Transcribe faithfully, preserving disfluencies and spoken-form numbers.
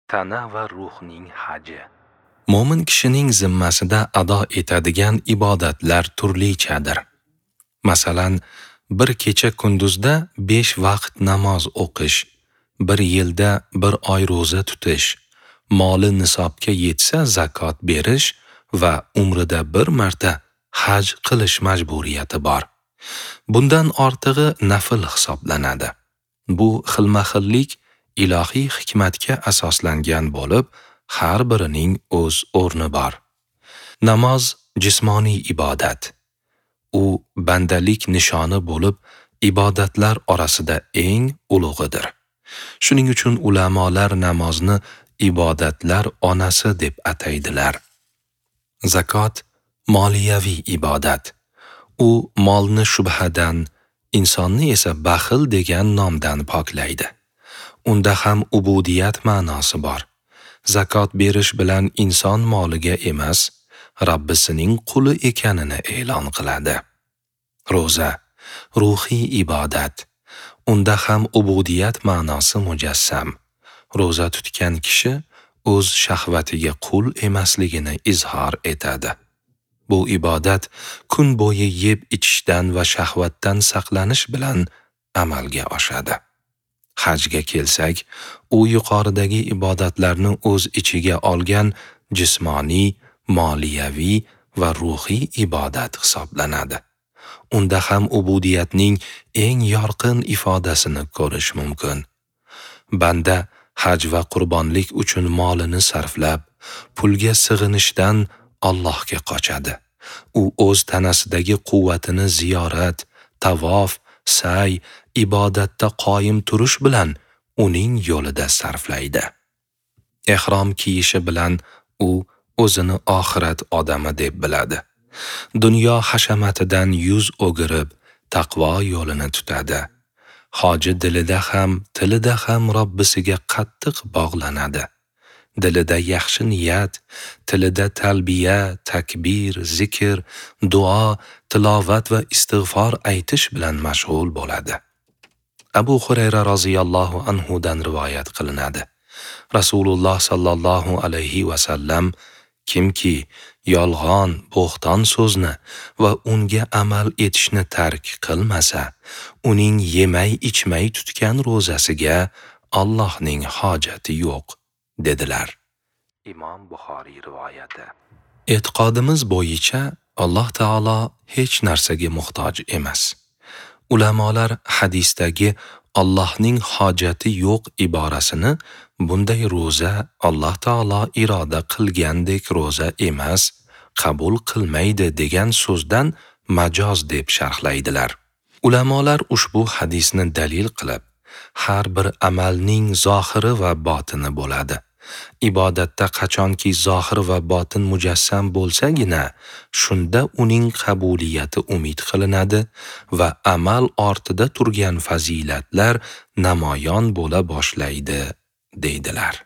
Tana va ruhning haji. Mo'min kishining zimmasida ado etadigan ibodatlar turlichadir. Masalan, bir kecha kunduzda besh vaqt namoz o'qish, bir yilda bir oy ro'za tutish, moli nisobga yetsa zakot berish va umrida bir marta haj qilish majburiyati bor. Bundan ortig'i nafl hisoblanadi. Bu xilma-xillik ilohiy hikmatga asoslangan bo'lib, har birining o'z o'rni bor. Namoz jismoniy ibodat. U bandalik nishoni bo'lib, ibodatlar orasida eng ulug'idir. Shuning uchun ulamolar namozni ibodatlar onasi deb ataydilar. Zakot moliyaviy ibodat. U molni shubhadan, insonni esa baxil degan nomdan poklaydi. Unda ham ubudiyat ma'nosi bor. Zakot berish bilan inson moliga emas, Rabbisining quli ekanini e'lon qiladi. Ro'za ruhiy ibodat. Unda ham ubudiyat ma'nosi mujassam. Ro'za tutgan kishi o'z shahvatiga qul emasligini izhor etadi. Bu ibodat kun bo'yi yeb ichishdan va shahvatdan saqlanish bilan amalga oshadi. Hajga kelsak, u yuqoridagi ibodatlarni o'z ichiga olgan jismoniy, moliyaviy va ruhiy ibodat hisoblanadi. Unda ham ubudiyatning eng yorqin ifodasini ko'rish mumkin. Banda haj va qurbonlik uchun molini sarflab, pulga sig'inishdan Allohga qochadi. U o'z tanasidagi quvvatini ziyorat, tavof, sa'y, ibodatda qoyim turish bilan uning yo'lida sarflaydi. Ehrom kiyishi bilan u o'zini oxirat odami deb biladi. Dunyo hashamatidan yuz o'girib, taqvo yo'lini tutadi. Hoji dilida ham, tilida ham Robbisiga qattiq bog'lanadi. Dilida yaxshi niyat, tilida talbiya, takbir, zikr, duo, tilovat va istig'for aytish bilan mashg'ul bo'ladi. Abu Hurayra roziyallohu anhu dan rivoyat qilinadi. Rasululloh sallallohu alayhi va sallam kimki yolg'on, bo'xton so'zni va unga amal etishni tark qilmasa, uning yemay ichmay tutgan ro'zasiga Allohning hojati yo'q, dedilar. Imom Buxoriy rivoyati. E'tiqodimiz bo'yicha Alloh taolo hech narsaga muhtoj emas. Ulamolar hadisdagi Allohning hojati yo'q iborasini bunday ro'za Alloh taolo iroda qilgandek ro'za emas, qabul qilmaydi degan so'zdan majoz deb sharhlaydilar. Ulamolar ushbu hadisni dalil qilib, har bir amalning zohiri va botini bo'ladi. Ibodatda qachonki zohir va botin mujassam bo'lsagina, shunda uning qabuliyati umid qilinadi va amal ortida turgan fazilatlar namoyon bo'la boshlaydi, deydilar.